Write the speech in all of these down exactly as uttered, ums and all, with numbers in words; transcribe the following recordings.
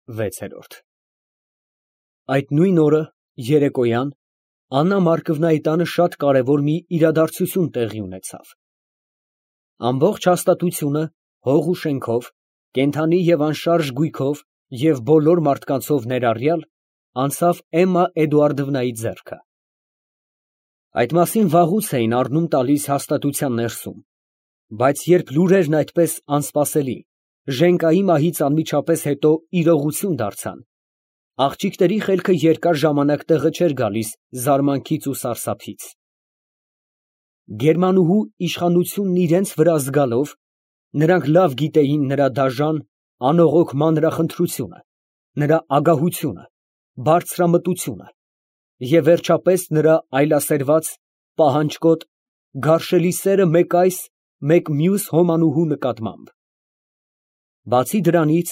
վեցերորդ Այդ նույն օրը երեկոյան Աննա Մարկովնայի տանը շատ կարևոր մի իրադարձություն տեղի ունեցավ. ամբողջ հաստատությունը հող ու շենքով, կենդանի և անշարժ գույքով և բոլոր մարդկանցով ներառյալ, անցավ Էմմա Էդուարդովնայի ձեռքը։ Այդ մասին վաղուց էին առնում տալիս հաստատության ներսում, բայց երբ լուրերն այդպես անսպասելի, ժենգայի մահից անմիջապես հետո իրողություն դարձան, աղջիկների խելքը երկար ժամանակ տեղը չէր գալիս զարմանքից ու սարսափից։ Գերմանուհու իշխանությունն իրենց վրա զգալով, նրանք լավ գիտեին նրա դաժան, անողոք մանրախնդրությունը, նրա ագահությունը, բարձրամտությունը և վերջապես նրա այլասերված, պահանջկոտ, գարշելի սերը մեկ այս, մեկ մյուս հոմանուհու նկատմամբ։ Բացի դրանից,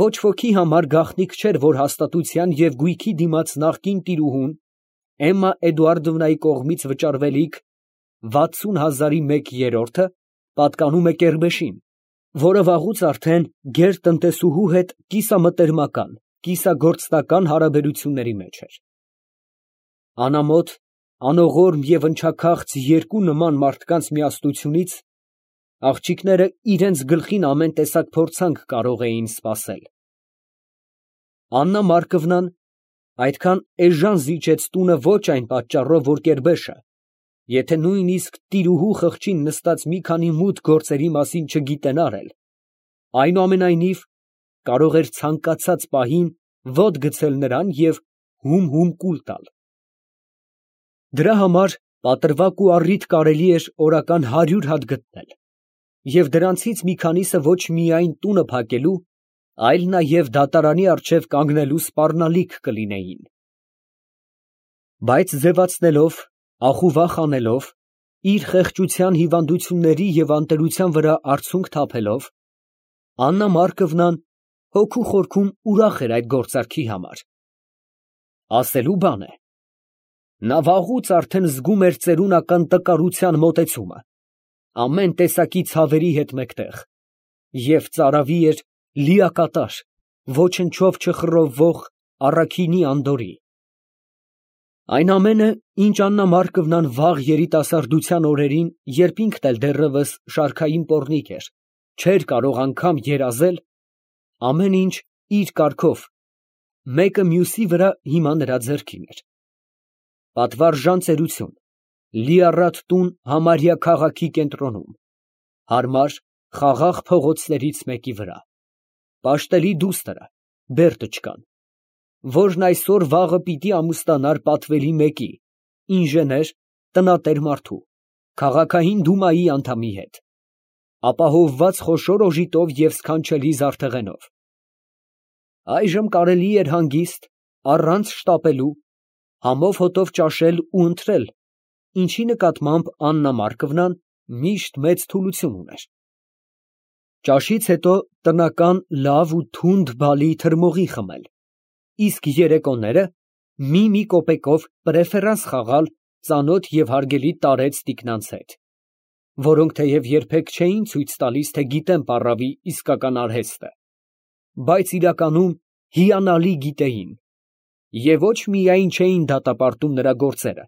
ոչ ոքի համար գաղտնիք չէր, որ հաստատության և գույքի դիմաց նախկին տիրուհուն Էմմա Էդուարդովնայի կողմից վճարվելիք վաթսուն հազարի մեկ երրորդը պատկանում է Կերբեշին, որը վաղուց արդեն գերտնտեսուհու հետ կիսամտերմական, կիսագործնական հարաբերությունների մեջ էր։ Անամոթ, անողորմ և ընչաքաղց երկու նման մարդկանց միասնությունից աղջիկները իրենց գլխին ամեն տեսակ փորձանք կարող էին սպասել։ Աննա Մարկովնան այդքան էժան զիջեց տունը ոչ այն պատճառով, որ կերբեշը, եթե նույնիսկ տիրուհու խղճին նստած մի քանի մութ գործերի մասին չգիտենար էլ, այնուամենայնիվ կարող էր ցանկացած պահին ոտ գցել նրան և հում֊հում կուլ տալ։ Դրա համար պատրվակ ու առիթ կարելի էր օրական հարյուր հատ գտնել, և դրանցից մի քանիսը ոչ միայն տունը փակելու, այլ նաև դատարանի առջև կանգնելու սպառնալիք կլինեին։ Բայց ձևացնելով, ախուվախ անելով, իր խեղճության հիվանդությունների և անտերության վրա արցունք թափելով, Աննա Մարկովնան հոգու խորքում ուրախ էր այդ գործարքի համար։ Ասելու բան է, նա վաղուց արդեն զգում էր ծերունական տկարության մոտեցումը, ամեն տեսակի ցավերի հետ մեկտեղ, և ծարավի էր լիակատար, ոչնչով չխռովվող առաքինի անդորրի։ Այն ամենը, ինչ Աննա Մարկովնան վաղ երիտասարդության օրերին, երբ ինքն էլ դեռևս շարքային պոռնիկ էր, չէր կարող անգամ երազել, ամեն ինչ իր կարգով, մեկը մյուսի վրա հիմա նրա ձեռքին էր։ Պատվարժան ծերություն, լիառատ տուն համարյա քաղաքի կենտրոնում, հարմար, խաղաղ փողոցներից մեկի վրա, պաշտելի դուստրը, Բերտուչկան, որն այսօր֊վաղը պիտի ամուսնանար պատվելի մեկի, ինժեներ, տնատեր մարդու, քաղաքային դումայի անդամի հետ, ապահովված խոշոր օժիտով և սքանչելի զարդեղենով։ Այժմ կարելի էր հանգիստ, առանց շտապելու, համով հոտով ճաշել ու ընթրել, ինչի նկատմամբ Աննա Մարկովնան միշտ մեծ թուլություն ուներ։ Ճաշից հետո տնական լավ ու թունդ բալի թրմողի խմել, իսկ երեկոները մի֊մի կոպեկով պրեֆերանս խաղալ ծանոթ և հարգելի տարեց տիկնանց հետ, որոնք թեև երբեք չէին ցույց տալիս, թե գիտեն պառավի իսկական արհեստը, բայց իրականում հիանալի գիտեին և ոչ միայն չէին դատապարտում նրա գործերը,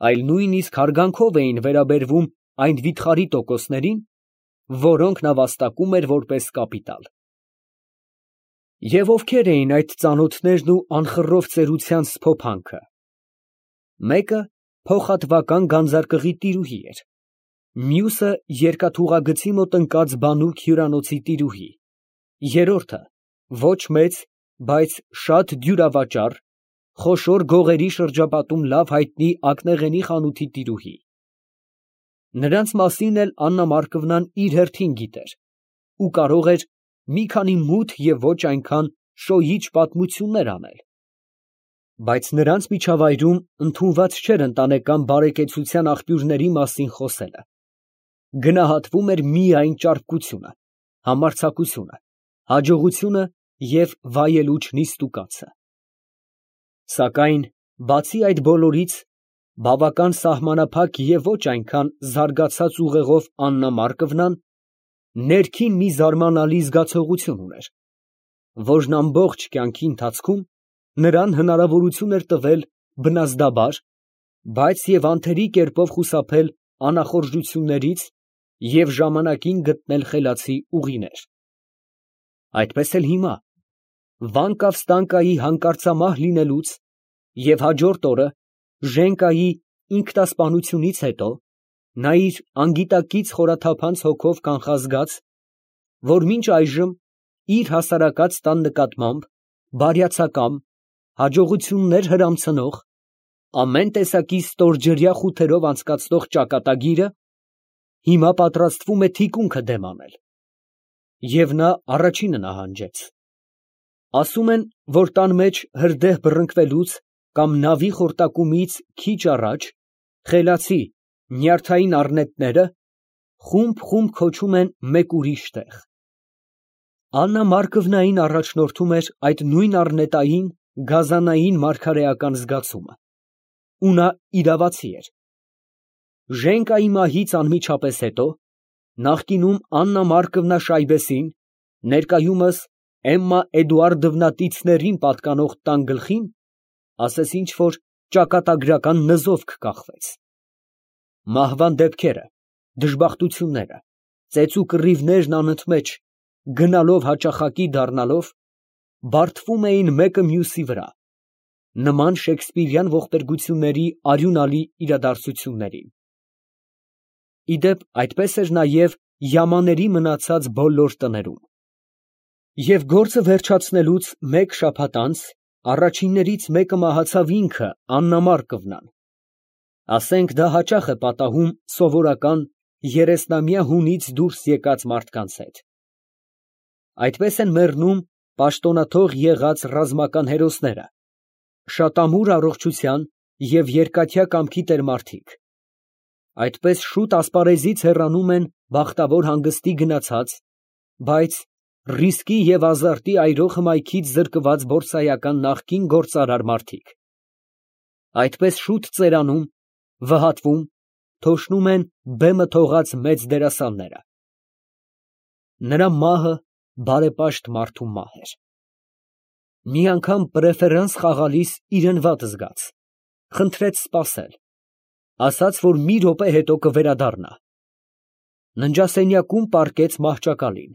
այլ նույնիսկ հարգանքով էին վերաբերվում այն վիթխարի տոկոսներին, որոնք նա վաստակում էր որպես կապիտալ։ Եվ ովքեր էին այդ ծանոթներն ու անխռով ծերության սփոփանքը։ Մեկը փոխհատվական գանձարկղի տիրուհի էր, մյուսը երկաթուղագծի մոտ ընկած բանուկ հյուրանոցի տիրուհի, երրորդը ոչ մեծ, բայց շատ դյուրավաճառ, խոշոր գողերի շրջապատում լավ հայտնի ակնեղենի խանութի տիրուհի։ Նրանց մասին էլ Աննա Մարկովնան իր հերթին գիտեր ու կարող էր մի քանի մութ և ոչ այնքան շոյիչ պատմություններ անել, բայց նրանց միջավայրում ընդունված չէր ընտանեկան բարեկեցության աղբյուրների մասին խոսելը, գնահատվում էր միայն ճարպկությունը, համարձակությունը, հաջողությունը և վայելուչ նիստուկացը։ Սակայն բացի այդ բոլորից, բավական սահմանափակ և ոչ այնքան զարգացած ուղեղով Աննա Մարկովնան ներքին մի զարմանալի զգացողություն ուներ, որն ամբողջ կյանքի ընթացքում նրան հնարավորություն էր տվել բնազդաբար, բայց և անթերի կերպով խուսափել անախորժություններից և ժամանակին գտնել խելացի ուղիներ։ Այդպես էլ հիմա, վանկավ֊ստանկայի հանկարծամահ լինելուց և հաջորդ օրը Ժենկայի ինքնասպանությունից հետո, նա իր անգիտակից խորաթափանց հոգով կանխազգաց, որ մինչ այժմ իր հասարակած տան նկատմամբ բարյացակամ, հաջողություններ հրամցնող, ամեն տեսակի ստորջրյա խութերով անցկացնող ճակատագիրը, հիմա պատրաստվում է թիկունքը դեմ անել։ Եվ նա առաջինը նահանջեց։ Ասում են, որ տան մեջ հրդեհ բռնկվելուց կամ նավի խորտակումից քիչ առաջ խելացի, նյարդային առնետները խումբ֊խումբ քոչում են մեկ ուրիշ տեղ։ Աննա Մարկովնային առաջնորդում էր այդ նույն առնետային, գազանային մարգարեական զգացումը, ու նա իրավացի էր։ Ժենկայի մահից անմիջապես հետո, նախկինում Աննա Մարկովնա Շայբեսին, ներկայումս Էմմա Էդուարդովնա Տիցներին պատկանող տան գլխին, ասես ինչ֊որ ճակատագրական նզովք կախվեց։ Մահվան դեպքերը, դժբախտությունները, ծեծու կռիվներն անընդմեջ, գնալով հաճախակի դառնալով, բարդվում էին մեկը մյուսի վրա, նման շեքսպիրյան ողբերգությունների արյունալի իրադարձություններին։ Ի դեպ, այդպես էր նաև յամաների մնացած բոլոր տներում։ Եվ գործը վերջացնելուց մեկ շաբաթ անց առաջիններից մեկը մահացավ ինքը Աննա Մարկովնան։ Ասենք դա հաճախ է պատահում սովորական երեսնամյա հունից դուրս եկած մարդկանց հետ։ Այդպես են մեռնում պաշտոնաթող եղած ռազմական հերոսները, շատ ամուր առողջության և երկաթյա կամքի տերմարդիկ։ Այդպես շուտ ասպարեզից հեռանում են բախտավոր հանգստի գնացած, բայց ռիսկի և ազարտի այրող հմայքից զրկված փորձայական նախկին գործարար մարդիկ։ Այդպես շուտ ծերանում, վհատվում, թոշնում են բեմը թողած մեծ դերասանները։ Նրա մահը բարեպաշտ մարդու մահ էր։ Մի անգամ պրեֆերանս խաղալիս իրան վատ զգաց, խնդրեց սպասել, ասաց, որ մի րոպե հետո կվերադառնա։ Ննջասենյակում պառկեց մահճակալին,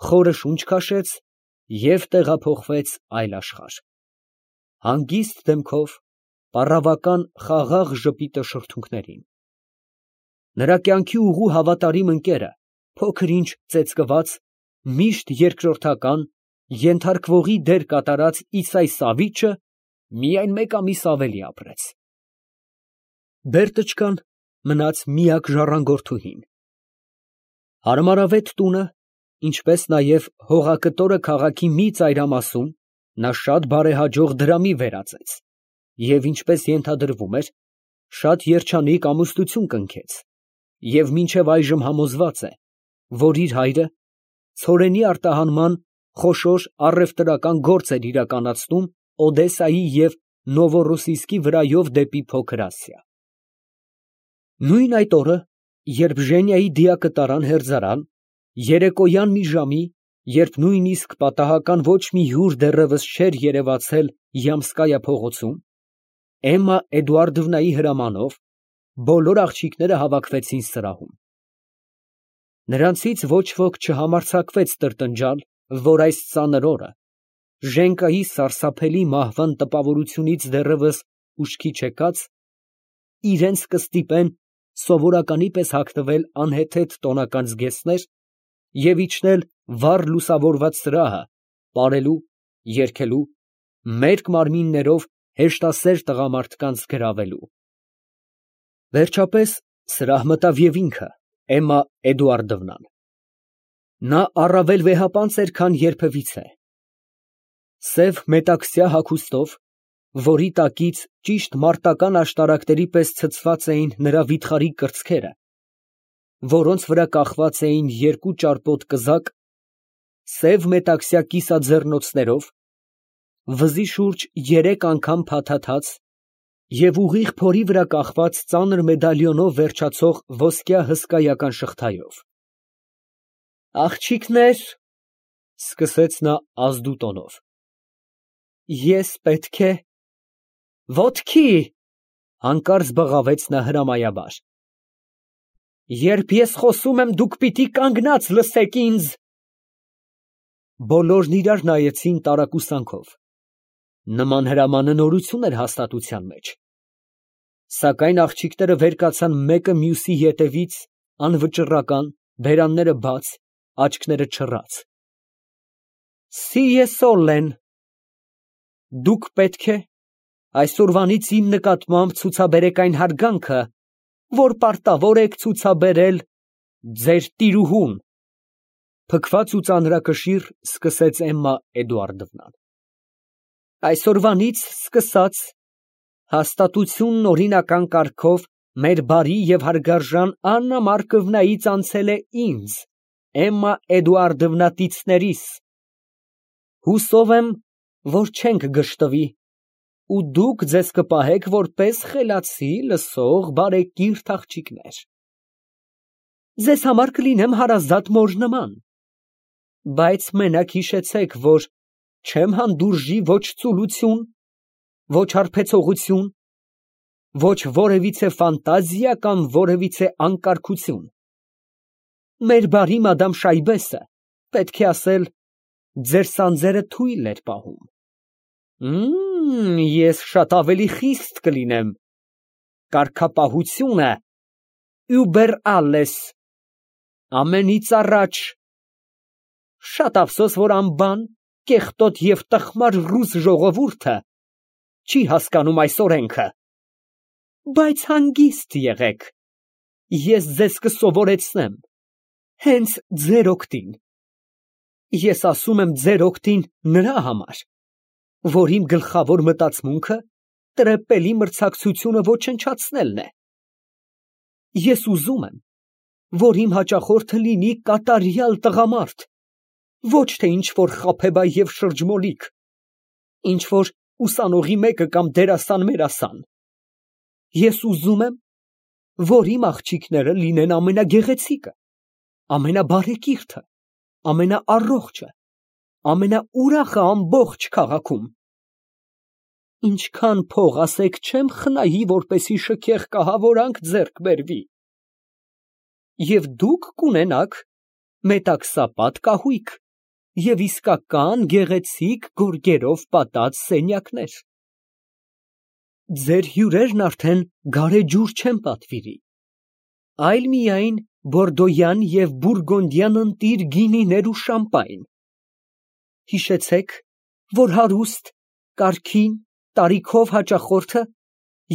խորը շունչ քաշեց և տեղափոխվեց այլ աշխարհ, հանգիստ դեմքով, պառավական խաղաղ ժպիտը շրթունքներին։ Նրա կյանքի ուղու հավատարիմ ընկերը, փոքր֊ինչ ծեծկված, միշտ երկրորդական, ենթարկվողի դեր կատարած Իսայի Սավիչը միայն մեկ ամիս ավելի ապրեց։ Բերտուչկան մնաց միակ ժառանգորդուհին։ Հարմարավետ տունը, ինչպես նաև հողակտորը քաղաքի մի ծայրամասում նա շատ բարեհաջող դրամի վերածեց և, ինչպես ենթադրվում էր, շատ երջանիկ ամուսնություն կնքեց և մինչև այժմ համոզված է, որ իր հայրը ցորենի արտահանման խոշոր առևտրական գործ էր իրականացնում Օդեսայի և Նովորոսիսկի վրայով դեպի Փոքր Ասիա։ Նույն այդ օրը, երբ Ժենիայի դիակը տարան հերձարան, երեկոյան մի ժամի, երբ նույնիսկ պատահական ոչ մի հյուր դեռևս չէր երևացել Յամսկայա փողոցում, Էմմա Էդուարդովնայի հրամանով բոլոր աղջիկները հավաքվեցին սրահում։ Նրանցից ոչ ոք չհամարձակվեց տրտնջալ, որ այս ծանր օրը, Ժենկայի սարսափելի մահվան տպավորությունից դեռևս ուշքի չեկած, իրենց կստիպեն սովորականի պես հագնվել անհեթեթ տոնական զգեստներ և իջնել վառ լուսավորված սրահը պարելու, երգելու, մերկ մարմիններով հեշտասեր տղամարդկանց գրավելու։ Վերջապես սրահ մտավ և ինքը, Էմմա Էդուարդովնան։ Նա առավել վեհապանծ էր, քան երբևիցե։ Սև մետաքսյա հագուստով, որի տակից ճիշտ մարտական աշտարակների պես ցցված էին նրա վիթխարի կրծքերը, որոնց վրա կախված էին երկու ճարպոտ կզակ, սև մետաքսյա կիսաձեռնոցներով, վզի շուրջ երեք անգամ փաթաթած և ուղիղ փորի վրա կախված ծանր մեդալիոնով վերջացող ոսկյա հսկայական շղթայով։ «Աղջիկնե՛ր, Սկսեց նա ազդու տոնով։ Ես պետք է… Ոտքի… Հանկարծ բղավեց նա հրամայաբար։ Երբ ես խոսում եմ, դուք պիտի կանգնած լսեք ինձ… Բոլորն իրար նայեցին տարակուսանքով. նման հրամանը նորություն էր հաստատության մեջ։ Սակայն աղջիկները վեր կացան մեկը մյուսի ետևից, անվճռական, բերանները բաց, աչքերը չռած։ Սիե սոլեն… Դուք պետք է այսօրվանից իմ նկատմամբ ցուցաբերեք այն հարգանքը, որ պարտավոր եք ցուցաբերել ձեր տիրուհուն… Փքված ու ծանրակշիռ սկսեց Էմմա Էդուարդովնան։ Այսօրվանից սկսած հաստատությունն օրինական կարգով մեր բարի և հարգարժան Աննա Մարկովնայից անցել է ինձ, Էմմա Էդուարդովնա Տիցներիս… Հուսով եմ, որ չենք գժտվի, ու դուք ձեզ կպահեք որպես խելացի, լսող, բարեկիրթ աղջիկներ… Ձեզ համար կլինեմ հարազատ մոր նման… Բայց մենակ հիշեցեք, որ չեմ հանդուրժի ոչ ծուլություն, ոչ հարբեցողություն, ոչ որևիցե ֆանտազիա կամ որևիցե անկարգություն… Մեր բարի մադամ Շայբեսը, պետք է ասել, ձեր սանձերը թույլ էր պահում… Մմ… Ես շատ ավելի խիստ կլինեմ… Կարգապահությունը über alles… Ամենից առաջ… Շատ ափսոս, որ անբան, կեղտոտ և տխմար ռուս ժողովուրդը չի հասկանում այս օրենքը… Բայց հանգիստ եղեք, ես ձեզ կսովորեցնեմ, հենց ձեր օգտին… Ես ասում եմ ձեր օգտին նրա համար, որ իմ գլխավոր մտածմունքը տրեպելի մրցակցությունը ոչնչացնելն է… Ես ուզում եմ, որ իմ հաճախորդը լինի կատարյալ տղամարդ, ոչ թե ինչ֊որ խաբեբայ և շրջմոլիկ, ինչ֊որ ուսանողի մեկը կամ դերասան֊մերասան… Ես ուզում եմ, որ իմ աղջիկները լինեն ամենագեղեցիկը, ամենաբարեկիրթը, ամենաառողջը, ամենաուրախը ամբողջ քաղաքում… Ինչքան փող, ասեք, չեմ խնայի, որպեսզի շքեղ կահավորանք ձեռք բերվի… Եվ դուք կունենաք մետաքսապատ կահույք և իսկական գեղեցիկ գորգերով պատած սենյակներ… Ձեր հյուրերն արդեն գարեջուր չեն պատվիրի, այլ միայն բորդոյան և բուրգունդյան ընտիր գինիներ ու շամպայն… Հիշեցեք, որ հարուստ, կարգին, տարիքով հաճախորդը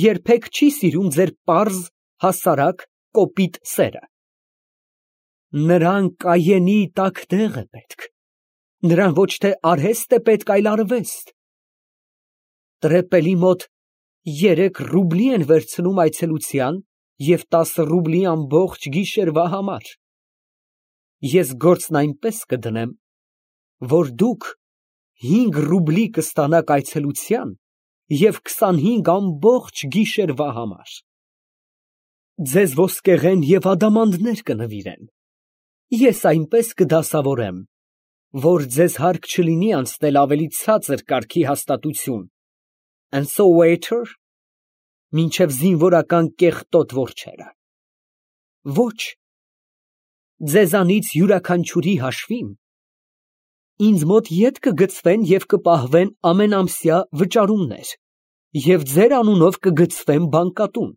երբեք չի սիրում ձեր պարզ, հասարակ, կոպիտ սերը… Նրան Կայենի տաք տեղ է պետք, նրան ոչ թե արհեստ է պետք, այլ արվեստ… Տրեպելի մոտ երեք ռուբլի են վերցնում այցելության և տասը ռուբլի ամբողջ գիշերվա համար… Ես գործն այնպես կդնեմ, որ դուք հինգ ռուբլի կստանաք այցելության և քսանհինգ ամբողջ գիշերվա համար… Ձեզ ոսկեղեն և ադամանդներ կնվիրեն… Ես այնպես կդասավորեմ, որ ձեզ հարկ չլինի անցնել ավելի ցածր կարգի հաստատություն, and so waiter, մինչև զինվորական կեղտոտ որջերը… Ոչ… Ձեզանից յուրաքանչյուրի հաշվին ինձ մոտ ետ կգցվեն և կպահվեն ամենամսյա վճարումներ և ձեր անունով կգցվեն բանկատուն,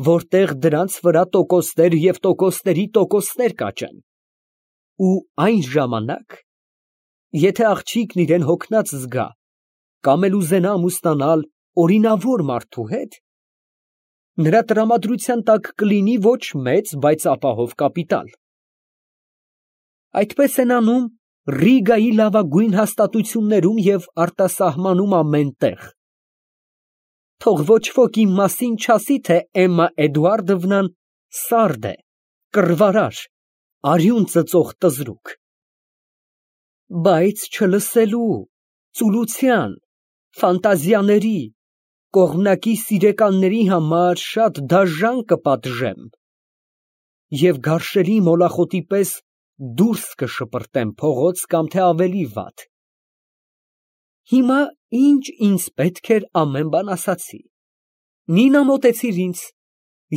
որտեղ դրանց վրա տոկոսներ և տոկոսների տոկոսներ կաճեն… Ու այն ժամանակ, եթե աղջիկն իրան հոգնած զգա կամ էլ ուզենա ամուսնանալ օրինավոր մարդու հետ, նրա տրամադրության տակ կլինի ոչ մեծ, բայց ապահով կապիտալ… Այդպես են անում Ռիգայի լավագույն հաստատություններում և արտասահմանում ամեն տեղ… Թող ոչ ոք իմ մասին չասի, թե Էմմա Էդուարդովնան սարդ է, կռվարար, արյուն ծծող տզրուկ… Բայց չլսելու, ծուլության, ֆանտազիաների, կողմնակի սիրեկանների համար շատ դաժան կպատժեմ… Եվ գարշելի մոլախոտի պես դուրս կշպրտեմ փողոց կամ թե ավելի վատ։ Հիմա ինչ ինձ պետք էր ամեն բան ասացի, նինա մոտեցիր ինձ,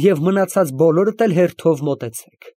և մնացած բոլորդ էլ հերթով մոտեցեք։